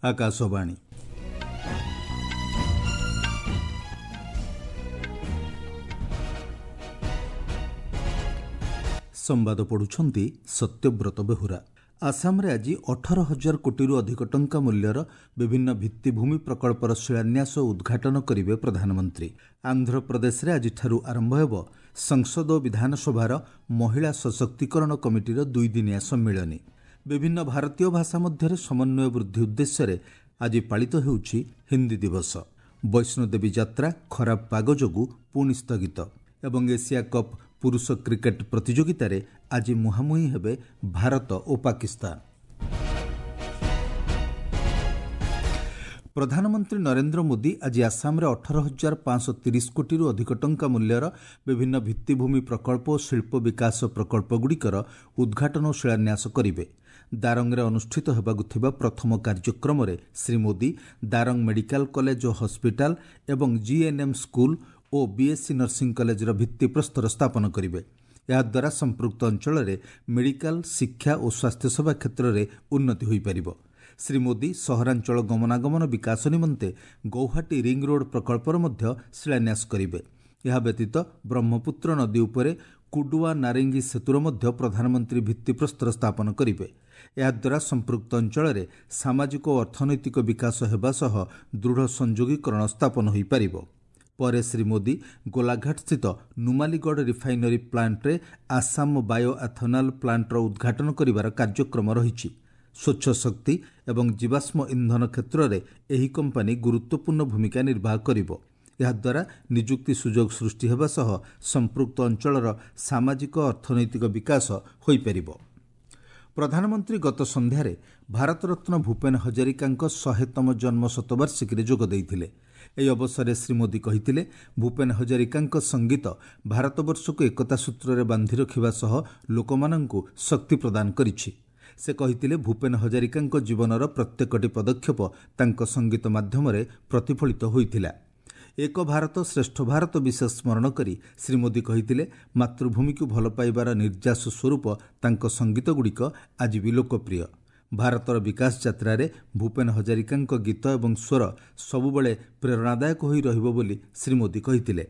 ଆକାଶବାଣୀ। ସମ୍ବାଦ ପଢ଼ୁଛନ୍ତି ସତ୍ୟବ୍ରତ ବେହୁରା। ଆସାମରେ ଆଜି 18,000 କୋଟିରୁ ଅଧିକ ଟଙ୍କା ମୂଲ୍ୟର ବିଭିନ୍ନ ଭିତ୍ତିଭୂମି ପ୍ରକଳ୍ପର ଶିଳାନ୍ୟାସ ଓ ଉଦ୍ଘାଟନ କରିବେ ପ୍ରଧାନମନ୍ତ୍ରୀ। ଆନ୍ଧ୍ରପ୍ରଦେଶରେ ଆଜିଠାରୁ ଆରମ୍ଭ ହେବ ସଂସଦ ଓ ବିଧାନସଭାର ମହିଳା ସଶକ୍ତିକରଣ କମିଟିର ଦୁଇଦିନିଆ ସମ୍ମିଳନୀ। ବିଭିନ୍ନ ଭାରତୀୟ ଭାଷା ମଧ୍ୟରେ ସମନ୍ୱୟ ବୃଦ୍ଧି ଉଦ୍ଦେଶ୍ୟରେ ଆଜି ପାଳିତ ହେଉଛି ହିନ୍ଦୀ ଦିବସ। ବୈଷ୍ଣୋଦେବୀ ଯାତ୍ରା ଖରାପ ପାଗ ଯୋଗୁଁ ପୁଣି ସ୍ଥଗିତ। ଏବଂ ଏସିଆ କପ୍ ପୁରୁଷ କ୍ରିକେଟ୍ ପ୍ରତିଯୋଗିତାରେ ଆଜି ମୁହାଁମୁହିଁ ହେବେ ଭାରତ ଓ ପାକିସ୍ତାନ। ପ୍ରଧାନମନ୍ତ୍ରୀ ନରେନ୍ଦ୍ର ମୋଦି ଆଜି ଆସାମରେ 18,530 କୋଟିରୁ ଅଧିକ ଟଙ୍କା ମୂଲ୍ୟର ବିଭିନ୍ନ ଭିତ୍ତିଭୂମି ପ୍ରକଳ୍ପ ଓ ଶିଳ୍ପ ବିକାଶ ପ୍ରକଳ୍ପଗୁଡ଼ିକର ଉଦ୍ଘାଟନ ଓ ଶିଳାନ୍ୟାସ କରିବେ। ଦାରଙ୍ଗରେ ଅନୁଷ୍ଠିତ ହେବାକୁ ଥିବା ପ୍ରଥମ କାର୍ଯ୍ୟକ୍ରମରେ ଶ୍ରୀ ମୋଦି ଦାରଙ୍ଗ ମେଡିକାଲ କଲେଜ ଓ ହସ୍ପିଟାଲ ଏବଂ ଜିଏନ୍ଏମ୍ ସ୍କୁଲ ଓ ବିଏସ୍ସି ନର୍ସିଂ କଲେଜର ଭିତ୍ତିପ୍ରସ୍ତର ସ୍ଥାପନ କରିବେ। ଏହାଦ୍ୱାରା ସମ୍ପୃକ୍ତ ଅଞ୍ଚଳରେ ମେଡିକାଲ ଶିକ୍ଷା ଓ ସ୍ୱାସ୍ଥ୍ୟସେବା କ୍ଷେତ୍ରରେ ଉନ୍ନତି ହୋଇପାରିବ। ଶ୍ରୀ ମୋଦି ସହରାଞ୍ଚଳ ଗମନାଗମନ ବିକାଶ ନିମନ୍ତେ ଗୌହାଟୀ ରିଂ ରୋଡ୍ ପ୍ରକଳ୍ପର ମଧ୍ୟ ଶିଳାନ୍ୟାସ କରିବେ। ଏହା ବ୍ୟତୀତ ବ୍ରହ୍ମପୁତ୍ର ନଦୀ ଉପରେ କୁଡୁଆ ନାରେଙ୍ଗୀ ସେତୁର ମଧ୍ୟ ପ୍ରଧାନମନ୍ତ୍ରୀ ଭିତ୍ତିପ୍ରସ୍ତର ସ୍ଥାପନ କରିବେ। ଏହାଦ୍ୱାରା ସମ୍ପୃକ୍ତ ଅଞ୍ଚଳରେ ସାମାଜିକ ଓ ଅର୍ଥନୈତିକ ବିକାଶ ହେବା ସହ ଦୃଢ଼ ସଂଯୋଗୀକରଣ ସ୍ଥାପନ ହୋଇପାରିବ। ପରେ ଶ୍ରୀ ମୋଦି ଗୋଲାଘାଟସ୍ଥିତ ନୁମାଲିଗଡ଼ ରିଫାଇନାରୀ ପ୍ଲାଣ୍ଟରେ ଆସାମ ବାୟୋ ଏଥନାଲ୍ ପ୍ଲାଣ୍ଟର ଉଦ୍ଘାଟନ କରିବାର କାର୍ଯ୍ୟକ୍ରମ ରହିଛି। ସ୍ୱଚ୍ଛ ଶକ୍ତି ଏବଂ ଜୀବାଶ୍ମ ଇନ୍ଧନ କ୍ଷେତ୍ରରେ ଏହି କମ୍ପାନୀ ଗୁରୁତ୍ୱପୂର୍ଣ୍ଣ ଭୂମିକା ନିର୍ବାହ କରିବ। ଏହାଦ୍ୱାରା ନିଯୁକ୍ତି ସୁଯୋଗ ସୃଷ୍ଟି ହେବା ସହ ସମ୍ପୃକ୍ତ ଅଞ୍ଚଳର ସାମାଜିକ ଅର୍ଥନୈତିକ ବିକାଶ ହୋଇପାରିବ। ପ୍ରଧାନମନ୍ତ୍ରୀ ଗତ ସନ୍ଧ୍ୟାରେ ଭାରତରତ୍ନ ଭୂପେନ ହଜାରିକାଙ୍କ 100ତମ ଜନ୍ମ ଶତବାର୍ଷିକୀରେ ଯୋଗ ଦେଇଥିଲେ। ଏହି ଅବସରରେ ଶ୍ରୀ ମୋଦି କହିଥିଲେ, ଭୂପେନ ହଜାରିକାଙ୍କ ସଙ୍ଗୀତ ଭାରତବର୍ଷକୁ ଏକତା ସୂତ୍ରରେ ବାନ୍ଧି ରଖିବା ସହ ଲୋକମାନଙ୍କୁ ଶକ୍ତି ପ୍ରଦାନ କରିଛି। ସେ କହିଥିଲେ, ଭୂପେନ ହଜାରିକାଙ୍କ ଜୀବନର ପ୍ରତ୍ୟେକଟି ପଦକ୍ଷେପ ତାଙ୍କ ସଙ୍ଗୀତ ମାଧ୍ୟମରେ ପ୍ରତିଫଳିତ ହୋଇଥିଲା। ଏକ ଭାରତ ଶ୍ରେଷ୍ଠ ଭାରତ ବିଷୟ ସ୍ମରଣ କରି ଶ୍ରୀ ମୋଦି କହିଥିଲେ, ମାତୃଭୂମିକୁ ଭଲ ପାଇବାର ନିର୍ଯାସ ସ୍ୱରୂପ ତାଙ୍କ ସଙ୍ଗୀତଗୁଡ଼ିକ ଆଜି ବି ଲୋକପ୍ରିୟ। ଭାରତର ବିକାଶ ଯାତ୍ରାରେ ଭୂପେନ ହଜାରିକାଙ୍କ ଗୀତ ଏବଂ ସ୍ୱର ସବୁବେଳେ ପ୍ରେରଣାଦାୟକ ହୋଇ ରହିବ ବୋଲି ଶ୍ରୀ ମୋଦି କହିଥିଲେ।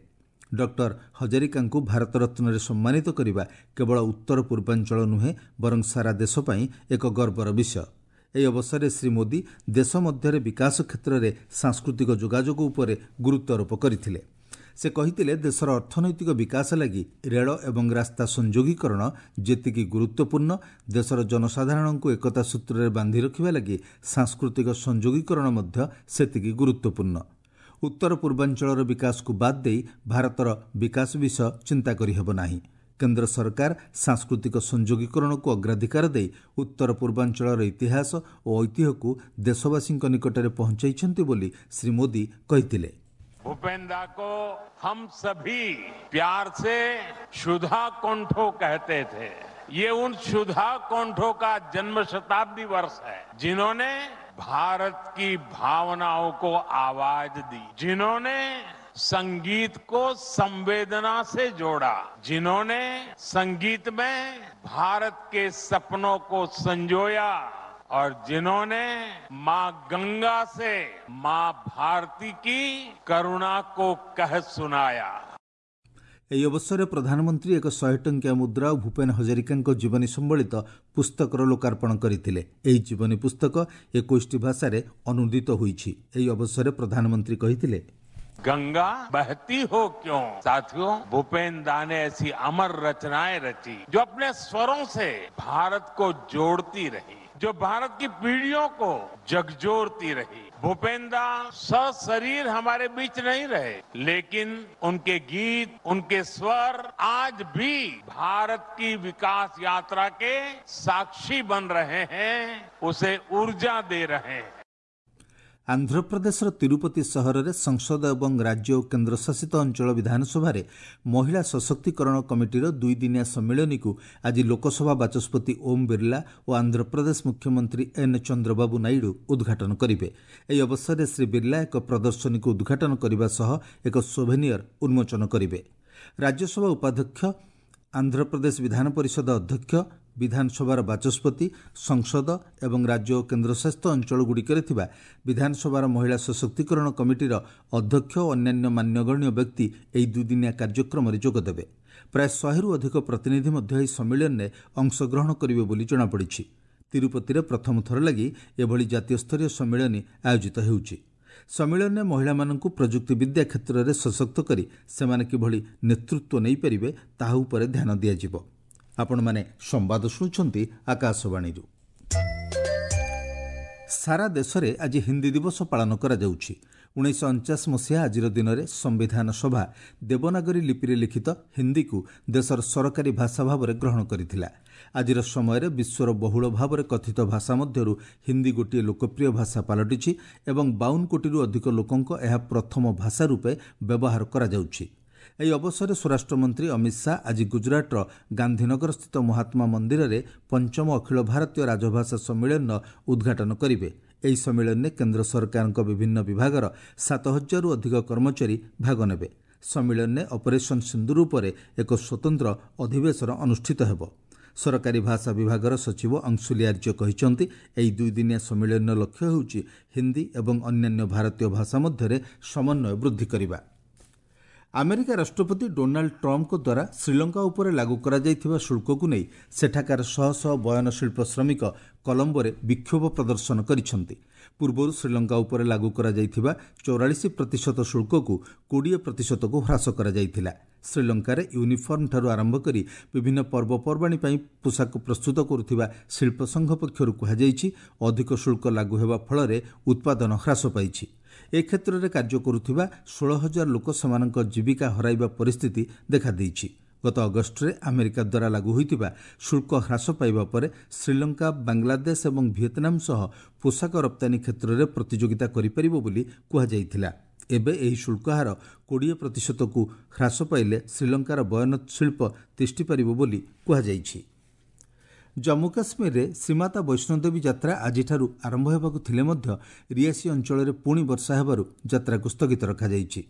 ଡକ୍ଟର ହଜାରିକାଙ୍କୁ ଭାରତରତ୍ନରେ ସମ୍ମାନିତ କରିବା କେବଳ ଉତ୍ତର ପୂର୍ବାଞ୍ଚଳ ନୁହେଁ, ବରଂ ସାରା ଦେଶ ପାଇଁ ଏକ ଗର୍ବର ବିଷୟ। ଏହି ଅବସରରେ ଶ୍ରୀ ମୋଦି ଦେଶ ମଧ୍ୟରେ ବିକାଶ କ୍ଷେତ୍ରରେ ସାଂସ୍କୃତିକ ଯୋଗାଯୋଗ ଉପରେ ଗୁରୁତ୍ୱାରୋପ କରିଥିଲେ। ସେ କହିଥିଲେ, ଦେଶର ଅର୍ଥନୈତିକ ବିକାଶ ଲାଗି ରେଳ ଏବଂ ରାସ୍ତା ସଂଯୋଗୀକରଣ ଯେତିକି ଗୁରୁତ୍ୱପୂର୍ଣ୍ଣ, ଦେଶର ଜନସାଧାରଣଙ୍କୁ ଏକତା ସୂତ୍ରରେ ବାନ୍ଧି ରଖିବା ଲାଗି ସାଂସ୍କୃତିକ ସଂଯୋଗୀକରଣ ମଧ୍ୟ ସେତିକି ଗୁରୁତ୍ୱପୂର୍ଣ୍ଣ। ଉତ୍ତର ପୂର୍ବାଞ୍ଚଳର ବିକାଶକୁ ବାଦ୍ ଦେଇ ଭାରତର ବିକାଶ ବିଷୟ ଚିନ୍ତା କରିହେବ ନାହିଁ। କେନ୍ଦ୍ର ସରକାର ସାଂସ୍କୃତିକ ସଂଯୋଗୀକରଣକୁ ଅଗ୍ରାଧିକାର ଦେଇ ଉତ୍ତର ପୂର୍ବାଞ୍ଚଳର ଇତିହାସ ଓ ଐତିହ୍ୟକୁ ଦେଶବାସୀଙ୍କ ନିକଟରେ ପହଞ୍ଚାଇଛନ୍ତି ବୋଲି ଶ୍ରୀ ମୋଦି କହିଥିଲେ। भूपेंद्र को हम सभी प्यार से सुधा कंठो कहते थे। ये उन सुधा कंठों का जन्म शताब्दी वर्ष है, जिन्होंने भारत की भावनाओं को आवाज दी, जिन्होंने संगीत को संवेदना से जोड़ा, जिन्होंने संगीत में भारत के सपनों को संजोया और जिन्होंने मां गंगा से मां भारती की करुणा को कह सुनाया। ଏହି ଅବସରରେ ପ୍ରଧାନମନ୍ତ୍ରୀ ଏକ 100 ଟଙ୍କିଆ ମୁଦ୍ରା ଓ ଭୂପେନ ହଜାରିକାଙ୍କ ଜୀବନୀ ସମ୍ବଳିତ ପୁସ୍ତକର ଲୋକାର୍ପଣ କରିଥିଲେ। ଏହି ଜୀବନୀ ପୁସ୍ତକ 21ଟି ଭାଷାରେ ଅନୁଦିତ ହୋଇଛି। ଏହି ଅବସରରେ ପ୍ରଧାନମନ୍ତ୍ରୀ କହିଥିଲେ, गंगा बहती हो क्यों। साथियों, भूपेन दा ने ऐसी अमर रचनाएं रची जो अपने स्वरों से भारत को जोड़ती रही, जो भारत की पीढ़ियों को झकझोरती रही। भूपेन दा सशरीर हमारे बीच नहीं रहे, लेकिन उनके गीत, उनके स्वर आज भी भारत की विकास यात्रा के साक्षी बन रहे हैं, उसे ऊर्जा दे रहे हैं। ଆନ୍ଧ୍ରପ୍ରଦେଶର ତିରୁପତି ସହରରେ ସଂସଦ ଏବଂ ରାଜ୍ୟ ଓ କେନ୍ଦ୍ରଶାସିତ ଅଞ୍ଚଳ ବିଧାନସଭାରେ ମହିଳା ସଶକ୍ତିକରଣ କମିଟିର ଦୁଇଦିନିଆ ସମ୍ମିଳନୀକୁ ଆଜି ଲୋକସଭା ବାଚସ୍ପତି ଓମ୍ ବିର୍ଲା ଓ ଆନ୍ଧ୍ରପ୍ରଦେଶ ମୁଖ୍ୟମନ୍ତ୍ରୀ ଏନ୍ ଚନ୍ଦ୍ରବାବୁ ନାଇଡୁ ଉଦ୍ଘାଟନ କରିବେ। ଏହି ଅବସରରେ ଶ୍ରୀ ବିର୍ଲା ଏକ ପ୍ରଦର୍ଶନୀକୁ ଉଦ୍ଘାଟନ କରିବା ସହ ଏକ ସୋଭେନିୟର ଉନ୍ମୋଚନ କରିବେ। ରାଜ୍ୟସଭା ଉପାଧ୍ୟକ୍ଷ, ଆନ୍ଧ୍ରପ୍ରଦେଶ ବିଧାନ ପରିଷଦ ଅଧ୍ୟକ୍ଷ ବିଧାନସଭାର ବାଚସ୍ପତି, ସଂସଦ ଏବଂ ରାଜ୍ୟ ଓ କେନ୍ଦ୍ରଶାସିତ ଅଞ୍ଚଳଗୁଡ଼ିକରେ ଥିବା ବିଧାନସଭାର ମହିଳା ସଶକ୍ତିକରଣ କମିଟିର ଅଧ୍ୟକ୍ଷ ଓ ଅନ୍ୟାନ୍ୟ ମାନ୍ୟଗଣ୍ୟ ବ୍ୟକ୍ତି ଏହି ଦୁଇଦିନିଆ କାର୍ଯ୍ୟକ୍ରମରେ ଯୋଗଦେବେ। ପ୍ରାୟ 100ରୁ ଅଧିକ ପ୍ରତିନିଧି ମଧ୍ୟ ଏହି ସମ୍ମିଳନୀରେ ଅଂଶଗ୍ରହଣ କରିବେ ବୋଲି ଜଣାପଡ଼ିଛି। ତିରୁପତିରେ ପ୍ରଥମ ଥର ଲାଗି ଏଭଳି ଜାତୀୟସ୍ତରୀୟ ସମ୍ମିଳନୀ ଆୟୋଜିତ ହେଉଛି। ସମ୍ମିଳନୀରେ ମହିଳାମାନଙ୍କୁ ପ୍ରଯୁକ୍ତିବିଦ୍ୟା କ୍ଷେତ୍ରରେ ସଶକ୍ତ କରି ସେମାନେ କିଭଳି ନେତୃତ୍ୱ ନେଇପାରିବେ ତାହା ଉପରେ ଧ୍ୟାନ ଦିଆଯିବ। ଆପଣମାନେ ସମ୍ବାଦ ଶୁଣୁଛନ୍ତି ଆକାଶବାଣୀରୁ। ସାରା ଦେଶରେ ଆଜି ହିନ୍ଦୀ ଦିବସ ପାଳନ କରାଯାଉଛି। 1949 ମସିହା ଆଜିର ଦିନରେ ସମ୍ବିଧାନ ସଭା ଦେବନାଗରୀ ଲିପିରେ ଲିଖିତ ହିନ୍ଦୀକୁ ଦେଶର ସରକାରୀ ଭାଷା ଭାବରେ ଗ୍ରହଣ କରିଥିଲା। ଆଜିର ସମୟରେ ବିଶ୍ୱର ବହୁଳ ଭାବରେ କଥିତ ଭାଷା ମଧ୍ୟରୁ ହିନ୍ଦୀ ଗୋଟିଏ ଲୋକପ୍ରିୟ ଭାଷା ପାଲଟିଛି ଏବଂ 52 କୋଟିରୁ ଅଧିକ ଲୋକଙ୍କ ଏହା ପ୍ରଥମ ଭାଷା ରୂପେ ବ୍ୟବହାର କରାଯାଉଛି। ଏହି ଅବସରରେ ସ୍ୱରାଷ୍ଟ୍ରମନ୍ତ୍ରୀ ଅମିତ ଶାହା ଆଜି ଗୁଜରାଟର ଗାନ୍ଧୀନଗରସ୍ଥିତ ମହାତ୍ମା ମନ୍ଦିରରେ ପଞ୍ଚମ ଅଖିଳ ଭାରତୀୟ ରାଜଭାଷା ସମ୍ମିଳନୀର ଉଦ୍ଘାଟନ କରିବେ। ଏହି ସମ୍ମିଳନୀରେ କେନ୍ଦ୍ର ସରକାରଙ୍କ ବିଭିନ୍ନ ବିଭାଗର 7000ରୁ ଅଧିକ କର୍ମଚାରୀ ଭାଗ ନେବେ। ସମ୍ମିଳନୀରେ ଅପରେସନ୍ ସିନ୍ଦୁର ଉପରେ ଏକ ସ୍ୱତନ୍ତ୍ର ଅଧିବେଶନ ଅନୁଷ୍ଠିତ ହେବ। ସରକାରୀ ଭାଷା ବିଭାଗର ସଚିବ ଅଂଶୁଲି ଆର୍ଯ୍ୟ କହିଛନ୍ତି, ଏହି ଦୁଇଦିନିଆ ସମ୍ମିଳନୀର ଲକ୍ଷ୍ୟ ହେଉଛି ହିନ୍ଦୀ ଏବଂ ଅନ୍ୟାନ୍ୟ ଭାରତୀୟ ଭାଷା ମଧ୍ୟରେ ସମନ୍ୱୟ ବୃଦ୍ଧି କରିବା। ଆମେରିକା ରାଷ୍ଟ୍ରପତି ଡୋନାଲ୍ଡ ଟ୍ରମ୍ପଙ୍କ ଦ୍ୱାରା ଶ୍ରୀଲଙ୍କା ଉପରେ ଲାଗୁ କରାଯାଇଥିବା ଶୁଳ୍କକୁ ନେଇ ସେଠାକାର ଶହ ଶହ ବୟନଶିଳ୍ପ ଶ୍ରମିକ କଲମ୍ବୋରେ ବିକ୍ଷୋଭ ପ୍ରଦର୍ଶନ କରିଛନ୍ତି। ପୂର୍ବରୁ ଶ୍ରୀଲଙ୍କା ଉପରେ ଲାଗୁ କରାଯାଇଥିବା 44% ଶୁଳ୍କକୁ 20%କୁ ହ୍ରାସ କରାଯାଇଥିଲା। ଶ୍ରୀଲଙ୍କାରେ ୟୁନିଫର୍ମଠାରୁ ଆରମ୍ଭ କରି ବିଭିନ୍ନ ପର୍ବପର୍ବାଣୀ ପାଇଁ ପୋଷାକ ପ୍ରସ୍ତୁତ କରୁଥିବା ଶିଳ୍ପ ସଂଘ ପକ୍ଷରୁ କୁହାଯାଇଛି, ଅଧିକ ଶୁଳ୍କ ଲାଗୁ ହେବା ଫଳରେ ଉତ୍ପାଦନ ହ୍ରାସ ପାଇଛି। ଏ କ୍ଷେତ୍ରରେ କାର୍ଯ୍ୟ କରୁଥିବା 16,000 ଲୋକ ସେମାନଙ୍କ ଜୀବିକା ହରାଇବା ପରିସ୍ଥିତି ଦେଖାଦେଇଛି। ଗତ ଅଗଷ୍ଟରେ ଆମେରିକା ଦ୍ୱାରା ଲାଗୁ ହୋଇଥିବା ଶୁଳ୍କ ହ୍ରାସ ପାଇବା ପରେ ଶ୍ରୀଲଙ୍କା ବାଂଲାଦେଶ ଏବଂ ଭିଏତନାମ ସହ ପୋଷାକ ରପ୍ତାନୀ କ୍ଷେତ୍ରରେ ପ୍ରତିଯୋଗିତା କରିପାରିବ ବୋଲି କୁହାଯାଇଥିଲା। ଏବେ ଏହି ଶୁଳ୍କ ହାର 20%କୁ ହ୍ରାସ ପାଇଲେ ଶ୍ରୀଲଙ୍କାର ବୟନ ଶିଳ୍ପ ତିଷ୍ଠିପାରିବ ବୋଲି କୁହାଯାଇଛି। ଜମ୍ମୁ କାଶ୍ମୀରରେ ଶ୍ରୀମାତା ବୈଷ୍ଣୋଦେବୀ ଯାତ୍ରା ଆଜିଠାରୁ ଆରମ୍ଭ ହେବାକୁ ଥିଲେ ମଧ୍ୟ ରିଆସି ଅଞ୍ଚଳରେ ପୁଣି ବର୍ଷା ହେବାରୁ ଯାତ୍ରାକୁ ସ୍ଥଗିତ ରଖାଯାଇଛି।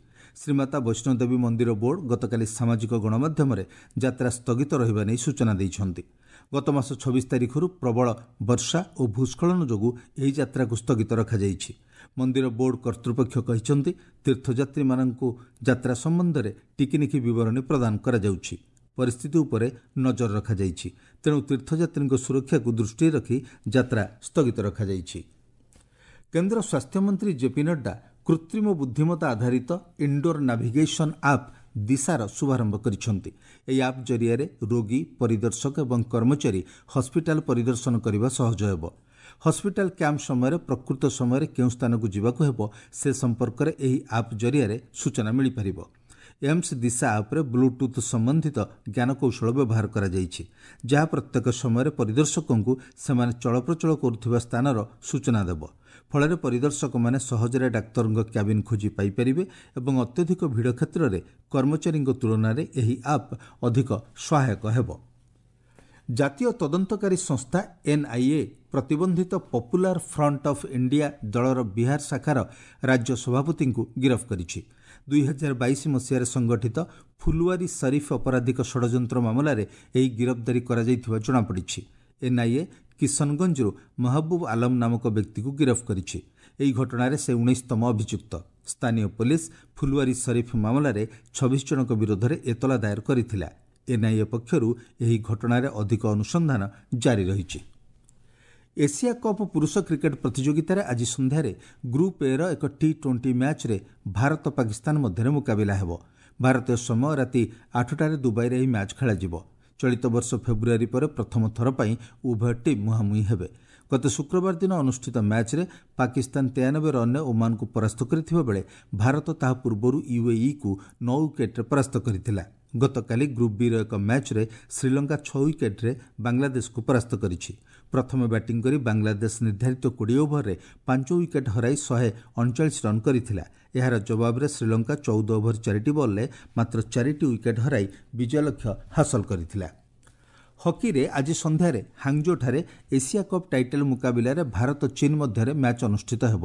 ଶ୍ରୀମାତା ବୈଷ୍ଣୋଦେବୀ ମନ୍ଦିର ବୋର୍ଡ ଗତକାଲି ସାମାଜିକ ଗଣମାଧ୍ୟମରେ ଯାତ୍ରା ସ୍ଥଗିତ ରହିବା ନେଇ ସୂଚନା ଦେଇଛନ୍ତି। ଗତମାସ 26 ତାରିଖରୁ ପ୍ରବଳ ବର୍ଷା ଓ ଭୂସ୍ଖଳନ ଯୋଗୁଁ ଏହି ଯାତ୍ରାକୁ ସ୍ଥଗିତ ରଖାଯାଇଛି। ମନ୍ଦିର ବୋର୍ଡ କର୍ତ୍ତୃପକ୍ଷ କହିଛନ୍ତି, ତୀର୍ଥଯାତ୍ରୀମାନଙ୍କୁ ଯାତ୍ରା ସମ୍ବନ୍ଧରେ ଟିକିନିଖି ବିବରଣୀ ପ୍ରଦାନ କରାଯାଉଛି। ପରିସ୍ଥିତି ଉପରେ ନଜର ରଖାଯାଇଛି। ତେଣୁ ତୀର୍ଥଯାତ୍ରୀଙ୍କ ସୁରକ୍ଷାକୁ ଦୃଷ୍ଟିରେ ରଖି ଯାତ୍ରା ସ୍ଥଗିତ ରଖାଯାଇଛି। କେନ୍ଦ୍ର ସ୍ୱାସ୍ଥ୍ୟମନ୍ତ୍ରୀ ଜେପି ନଡ୍ଡା କୃତ୍ରିମ ବୁଦ୍ଧିମତ୍ତା ଆଧାରିତ ଇନ୍ଡୋର ନାଭିଗେସନ୍ ଆପ୍ ଦିଶାର ଶୁଭାରମ୍ଭ କରିଛନ୍ତି। ଏହି ଆପ୍ ଜରିଆରେ ରୋଗୀ, ପରିଦର୍ଶକ ଏବଂ କର୍ମଚାରୀ ହସ୍ପିଟାଲ ପରିଦର୍ଶନ କରିବା ସହଜ ହେବ। ହସ୍ପିଟାଲ କ୍ୟାମ୍ପ ସମୟରେ ପ୍ରକୃତ ସମୟରେ କେଉଁ ସ୍ଥାନକୁ ଯିବାକୁ ହେବ ସେ ସମ୍ପର୍କରେ ଏହି ଆପ୍ ଜରିଆରେ ସୂଚନା ମିଳିପାରିବ। ଏମ୍ସ ଦିଶା ଆପ୍ରେ ବ୍ଲୁଟୁଥ୍ ସମ୍ବନ୍ଧିତ ଜ୍ଞାନକୌଶଳ ବ୍ୟବହାର କରାଯାଇଛି, ଯାହା ପ୍ରତ୍ୟେକ ସମୟରେ ପରିଦର୍ଶକଙ୍କୁ ସେମାନେ ଚଳପ୍ରଚଳ କରୁଥିବା ସ୍ଥାନର ସୂଚନା ଦେବ। ଫଳରେ ପରିଦର୍ଶକମାନେ ସହଜରେ ଡାକ୍ତରଙ୍କ କ୍ୟାବିନ୍ ଖୋଜି ପାଇପାରିବେ ଏବଂ ଅତ୍ୟଧିକ ଭିଡ଼ କ୍ଷେତ୍ରରେ କର୍ମଚାରୀଙ୍କ ତୁଳନାରେ ଏହି ଆପ୍ ଅଧିକ ସହାୟକ ହେବ। ଜାତୀୟ ତଦନ୍ତକାରୀ ସଂସ୍ଥା ଏନ୍ଆଇଏ ପ୍ରତିବନ୍ଧିତ ପପୁଲାର ଫ୍ରଣ୍ଟ ଅଫ୍ ଇଣ୍ଡିଆ ଦଳର ବିହାର ଶାଖାର ରାଜ୍ୟ ସଭାପତିଙ୍କୁ ଗିରଫ କରିଛି। 2022 ମସିହାରେ ସଂଗଠିତ ଫୁଲୱାରୀ ସରିଫ ଅପରାଧିକ ଷଡ଼ଯନ୍ତ୍ର ମାମଲାରେ ଏହି ଗିରଫଦାରୀ କରାଯାଇଥିବା ଜଣାପଡ଼ିଛି। ଏନ୍ଆଇଏ କିଶନଗଞ୍ଜରୁ ମହବୁବ ଆଲମ ନାମକ ବ୍ୟକ୍ତିକୁ ଗିରଫ କରିଛି। ଏହି ଘଟଣାରେ ସେ 19ତମ ଅଭିଯୁକ୍ତ। ସ୍ଥାନୀୟ ପୋଲିସ ଫୁଲୱାରୀ ସରିଫ ମାମଲାରେ 26 ଜଣଙ୍କ ବିରୋଧରେ ଏତଲା ଦାୟର କରିଥିଲା। ଏନ୍ଆଇଏ ପକ୍ଷରୁ ଏହି ଘଟଣାରେ ଅଧିକ ଅନୁସନ୍ଧାନ ଜାରି ରହିଛି। ଏସିଆ କପ୍ ପୁରୁଷ କ୍ରିକେଟ୍ ପ୍ରତିଯୋଗିତାରେ ଆଜି ସନ୍ଧ୍ୟାରେ ଗ୍ରୁପ୍ ଏର ଏକ ଟି-20 ମ୍ୟାଚ୍ରେ ଭାରତ ପାକିସ୍ତାନ ମଧ୍ୟରେ ମୁକାବିଲା ହେବ। ଭାରତୀୟ ସମୟ ରାତି 8ଟାରେ ଦୁବାଇରେ ଏହି ମ୍ୟାଚ୍ ଖେଳାଯିବ। ଚଳିତ ବର୍ଷ ଫେବୃଆରୀ ପରେ ପ୍ରଥମ ଥର ପାଇଁ ଉଭୟ ଟିମ୍ ମୁହାଁମୁହିଁ ହେବେ। ଗତ ଶୁକ୍ରବାର ଦିନ ଅନୁଷ୍ଠିତ ମ୍ୟାଚ୍ରେ ପାକିସ୍ତାନ 93 ରନ୍ରେ ଓମାନକୁ ପରାସ୍ତ କରିଥିବା ବେଳେ ଭାରତ ତାହା ପୂର୍ବରୁ ୟୁଏଇକୁ 9 ୱିକେଟ୍ରେ ପରାସ୍ତ କରିଥିଲା। ଗତକାଲି ଗ୍ରୁପ୍ ବିର ଏକ ମ୍ୟାଚ୍ରେ ଶ୍ରୀଲଙ୍କା 6 ୱିକେଟ୍ରେ ବାଂଲାଦେଶକୁ ପରାସ୍ତ କରିଛି। ପ୍ରଥମେ ବ୍ୟାଟିଂ କରି ବାଂଲାଦେଶ ନିର୍ଦ୍ଧାରିତ 20 ଓଭରରେ 5 ୱିକେଟ୍ ହରାଇ 139 ରନ୍ କରିଥିଲା। ଏହାର ଜବାବରେ ଶ୍ରୀଲଙ୍କା 14 ଓଭର 4ଟି ବଲ୍ରେ ମାତ୍ର 4ଟି ୱିକେଟ୍ ହରାଇ ବିଜୟ ଲକ୍ଷ୍ୟ ହାସଲ କରିଥିଲା। ହକିରେ ଆଜି ସନ୍ଧ୍ୟାରେ ହାଙ୍ଗଜୋଠାରେ ଏସିଆ କପ୍ ଟାଇଟଲ୍ ମୁକାବିଲାରେ ଭାରତ ଚୀନ୍ ମଧ୍ୟରେ ମ୍ୟାଚ୍ ଅନୁଷ୍ଠିତ ହେବ।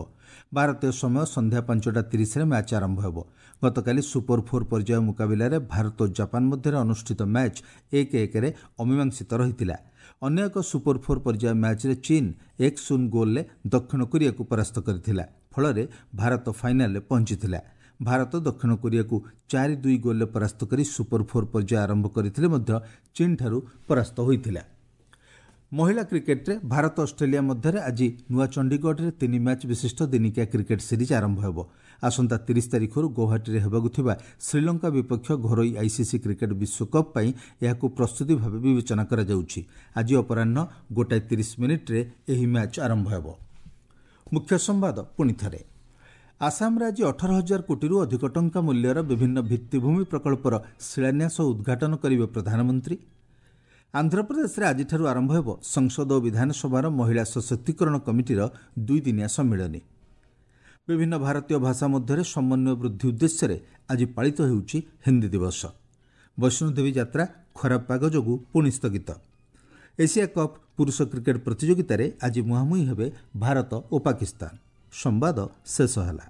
ଭାରତୀୟ ସମୟ ସନ୍ଧ୍ୟା 5:30ରେ ମ୍ୟାଚ୍ ଆରମ୍ଭ ହେବ। ଗତକାଲି ସୁପର ଫୋର୍ ପର୍ଯ୍ୟାୟ ମୁକାବିଲାରେ ଭାରତ ଓ ଜାପାନ ମଧ୍ୟରେ ଅନୁଷ୍ଠିତ ମ୍ୟାଚ୍ 1-1ରେ ଅମୀମାଂସିତ ରହିଥିଲା। ଅନ୍ୟ ଏକ ସୁପର ଫୋର୍ ପର୍ଯ୍ୟାୟ ମ୍ୟାଚ୍ରେ ଚୀନ୍ 1-0 ଗୋଲ୍ରେ ଦକ୍ଷିଣ କୋରିଆକୁ ପରାସ୍ତ କରିଥିଲା। ଫଳରେ ଭାରତ ଫାଇନାଲରେ ପହଞ୍ଚିଥିଲା। ଭାରତ ଦକ୍ଷିଣ କୋରିଆକୁ 4-2 ଗୋଲ୍ରେ ପରାସ୍ତ କରି ସୁପର ଫୋର୍ ପର୍ଯ୍ୟାୟ ଆରମ୍ଭ କରିଥିଲେ ମଧ୍ୟ ଚୀନ୍ଠାରୁ ପରାସ୍ତ ହୋଇଥିଲା। ମହିଳା କ୍ରିକେଟ୍ରେ ଭାରତ ଅଷ୍ଟ୍ରେଲିଆ ମଧ୍ୟରେ ଆଜି ନୂଆ ଚଣ୍ଡିଗଡ଼ରେ 3 ମ୍ୟାଚ୍ ବିଶିଷ୍ଟ ଦିନିକିଆ କ୍ରିକେଟ୍ ସିରିଜ୍ ଆରମ୍ଭ ହେବ। ଆସନ୍ତା 30 ତାରିଖରୁ ଗୌହାଟୀରେ ହେବାକୁ ଥିବା ଶ୍ରୀଲଙ୍କା ବିପକ୍ଷ ଘରୋଇ ଆଇସିସି କ୍ରିକେଟ୍ ବିଶ୍ୱକପ୍ ପାଇଁ ଏହାକୁ ପ୍ରସ୍ତୁତି ଭାବେ ବିବେଚନା କରାଯାଉଛି। ଆଜି ଅପରାହ୍ନ 1:30ରେ ଏହି ମ୍ୟାଚ୍ ଆରମ୍ଭ ହେବ। ମୁଖ୍ୟ ସମ୍ବାଦ ପୁଣି ଥରେ। ଆସାମରେ ଆଜି 18,000 କୋଟିରୁ ଅଧିକ ଟଙ୍କା ମୂଲ୍ୟର ବିଭିନ୍ନ ଭିତ୍ତିଭୂମି ପ୍ରକଳ୍ପର ଶିଳାନ୍ୟାସ ଓ ଉଦ୍ଘାଟନ କରିବେ ପ୍ରଧାନମନ୍ତ୍ରୀ। ଆନ୍ଧ୍ରପ୍ରଦେଶରେ ଆଜିଠାରୁ ଆରମ୍ଭ ହେବ ସଂସଦ ଓ ବିଧାନସଭାର ମହିଳା ସଶକ୍ତିକରଣ କମିଟିର 2 ଦିନିଆ ସମ୍ମିଳନୀ। ବିଭିନ୍ନ ଭାରତୀୟ ଭାଷା ମଧ୍ୟରେ ସମନ୍ୱୟ ବୃଦ୍ଧି ଉଦ୍ଦେଶ୍ୟରେ ଆଜି ପାଳିତ ହେଉଛି ହିନ୍ଦୀ ଦିବସ। ବୈଷ୍ଣୋଦେବୀ ଯାତ୍ରା ଖରାପ ପାଗ ଯୋଗୁଁ ପୁଣି ସ୍ଥଗିତ। ଏସିଆ କପ୍ ପୁରୁଷ କ୍ରିକେଟ୍ ପ୍ରତିଯୋଗିତାରେ ଆଜି ମୁହାଁମୁହିଁ ହେବେ ଭାରତ ଓ ପାକିସ୍ତାନ। ସମ୍ବାଦ ଶେଷ ହେଲା।